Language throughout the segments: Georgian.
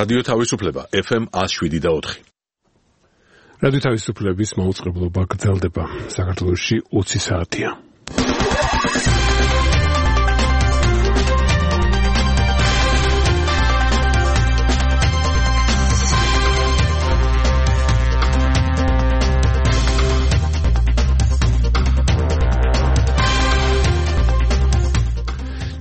რადიო თავისუფლება FM 107.4. რადიო თავისუფლების მაუწყებლობა გრძელდება. საქართველოში 20 საათია.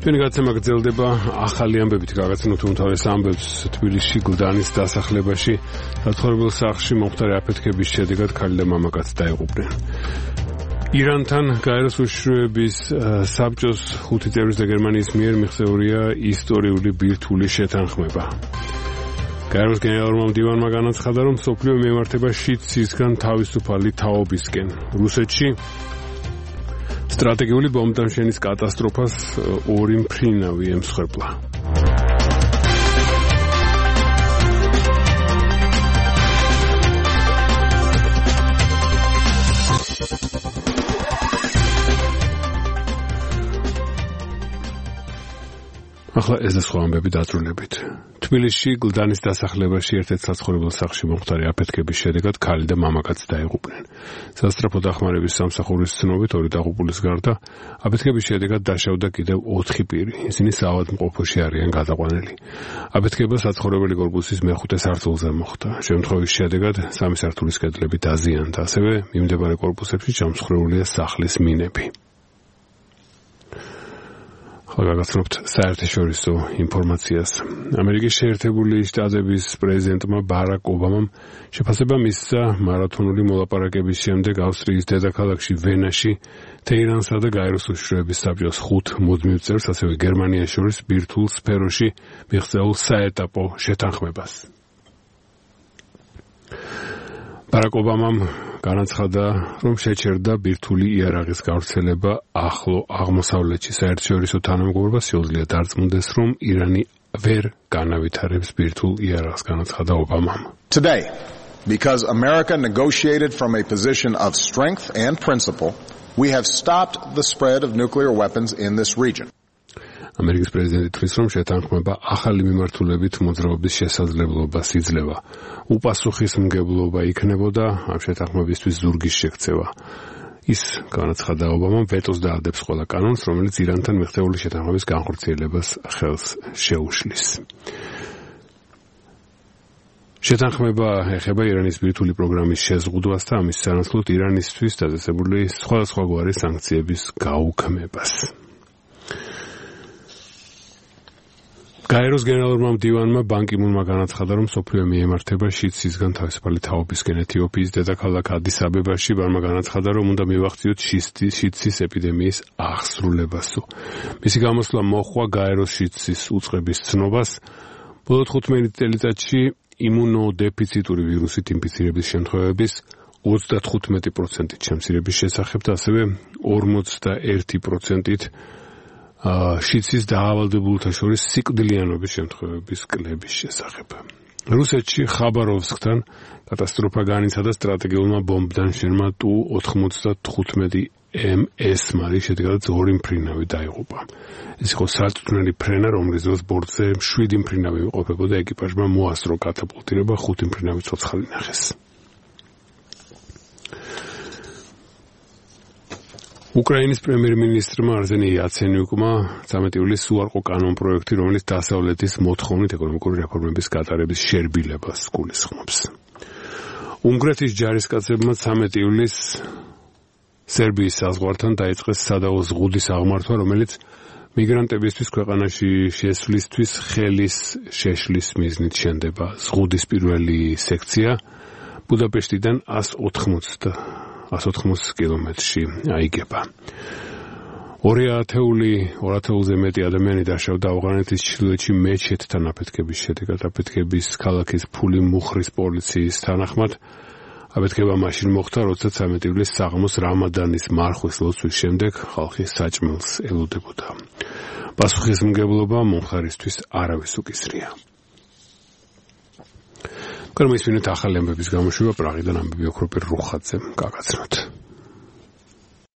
ჩვენი გაცემა გრძელდება. ახალი ამბებით გაგაცნოთ უმთავრეს ამბებს თბილისში გლდანის დასახლებაში საცხოვრებელ სახლში მომხდარი აფეთქების შედეგად ქალი და მამაკაცი დაიღუპნენ. ირანთან გაეროს უშიშროების საბჭოს 5 წევრის და გერმანიის მიერ მიღწეულია ისტორიული ბირთვული შეთანხმება. გაეროს გენერალურმა მდივანმა განაცხადა, რომ მსოფლიო მიემართება შიდსისგან თავისუფალი თაობისკენ. რუსეთში სტრატეგიული ბომბდამშენის კატასტროფას ორი მფრინავი ემსხვერპლა. ახლა ეს და სხვა ამბები დაწვრილებით. თბილისში გლდანის დასახლებაში ერთ-ერთ საცხოვრებელ სახლში მომხდარი აფეთქების შედეგად ქალი და მამაკაცი დაიღუპნენ. სასწრაფო დახმარების სამსახურის ცნობით ორი დაღუპულის გარდა აფეთქების შედეგად დაშავდა კიდევ 4 პირი. ისინი საავადმყოფოში არიან გადაყვანილი. აფეთქება საცხოვრებელი კორპუსის მეხუთე სართულზე მოხდა. შემთხვევის შედეგად 3 სართულის კედლები დაზიანდა, ასევე მიმდებარე კორპუსებში ჩამსხვრეულია სახლის მინები. გაგაცნობთ საერთაშორისო ინფორმაციას. ამერიკის შეერთებული შტატების პრეზიდენტმა ბარაკ ობამამ შეფასება მისცა მარათონული მოლაპარაკების შემდეგ ავსტრიის დედაქალაქში ვენაში თეირანსა და გაეროს უშიშროების საბჭოს 5 მუდმივ წევრს, ასევე გერმანიას შორის ბირთვულ სფეროში მიღწეულ საეტაპო შეთანხმებას. ბარაკ ობამამ განაცხადა, რომ შეჩერდა ბირთვული იარაღის გავრცელება ახლო აღმოსავლეთში. საერთაშორისო თანამეგობრობა შეუძლია დარწმუნდეს, რომ ირანი ვერ განავითარებს ბირთვულ იარაღს, განაცხადა ობამამ. Today, because America negotiated from a position of strength and principle, we have stopped the spread of nuclear weapons in this region. ამერიკის პრეზიდენტი თვლის, რომ შეთანხმება ახალი მიმართულებით მოძრაობის შესაძლებლობას იძლევა. უპასუხისმგებლობა იქნებოდა ამ შეთანხმებისთვის ზურგის შექცევა. ის, განაცხადა ობამამ, ვეტოს დაადებს ყველა კანონს, რომელიც ირანთან მიღწეული შეთანხმების განხორციელებას ხელს შეუშლის. შეთანხმება ეხება ირანის ბირთვული პროგრამის შეზღუდვას და ამის სანაცვლოდ ირანისთვის დაწესებული სხვადასხვაგვარი სანქციების გაუქმებას. გაეროს გენერალურმა მდივანმა ბან კი მუნმა განაცხადა, რომ მსოფლიო მიემართება შიდსისგან თავისუფალი თაობისკენ. ეთიოპიის დედაქალაქ ადის აბებაში ბანმა განაცხადა, რომ უნდა მივახციოთ შიდსის ეპიდემიის აღსრულებასო. მისი გამოსვლა მოჰყვა გაეროს შიდსის უწყების ცნობას. ბოლო 15 წელიწადში იმუნოდეფიციტური ვირუსით ინფიცირების შემთხვევების 35%-ით შემცირების შესახებ და ასევე 41%-ით შიდსის დაავადებულთა შორის სიკვდილიანობის შემთხვევების კლების შესახებ. რუსეთში ხაბაროვსკთან კატასტროფა განიცადა სტრატეგიულმა ბომბდამშენმა Tu-95 MS-მარი, შედეგადაც 2 მფრინავი დაიღუპა. ეს იყო სარწმუნოები ფრენა, რომლის დროს ბორტზე 7 მფრინავი იმყოფებოდა. ეკიპაჟმა მოასწრო კატაპულტირება, 5 მფრინავი ცოცხალი ნახეს. უკრაინის პრემიერ-მინისტრმა არზენი იაცენიუკმა 13 ივლისს უარყო კანონპროექტი, რომელიც დასავლეთის მოთხოვნით ეკონომიკური რეფორმების გატარების შერბილებას გულისხმობს. უნგრეთის ჯარისკაცებმა 13 ივლისს სერბიის საზღვართან დაიწყეს სადავო ზღუდის აღმართვა, რომელიც მიგრანტებისთვის ქვეყანაში შესვლისთვის ხელის შეშლის მიზნით შენდება. ზღუდის პირველი სექცია ბუდაპეშტიდან 180 კილომეტრში აიგება. 2,000-ზე მეტი ადამიანი დაშავდა ავღანეთის ჩრდილოეთში მეჩეთთან აფეთქების შედეგად. აფეთქების ქალაქის ფული მუხრის პოლიციის თანახმად აფეთქება მაშინ მოხდა, როცა 13 ივლისს საღამოს რამადანის მარხვის ლოცვის შემდეგ ხალხი საჭმელს ელოდებოდა. პასუხისმგებლობა მომხდარისთვის არავის უკისრია. გარმისვინეთ ახალი ამბების გამოშვება პრაღიდან ამბები ოქროპირ რუხაძემ გაგაცნოთ.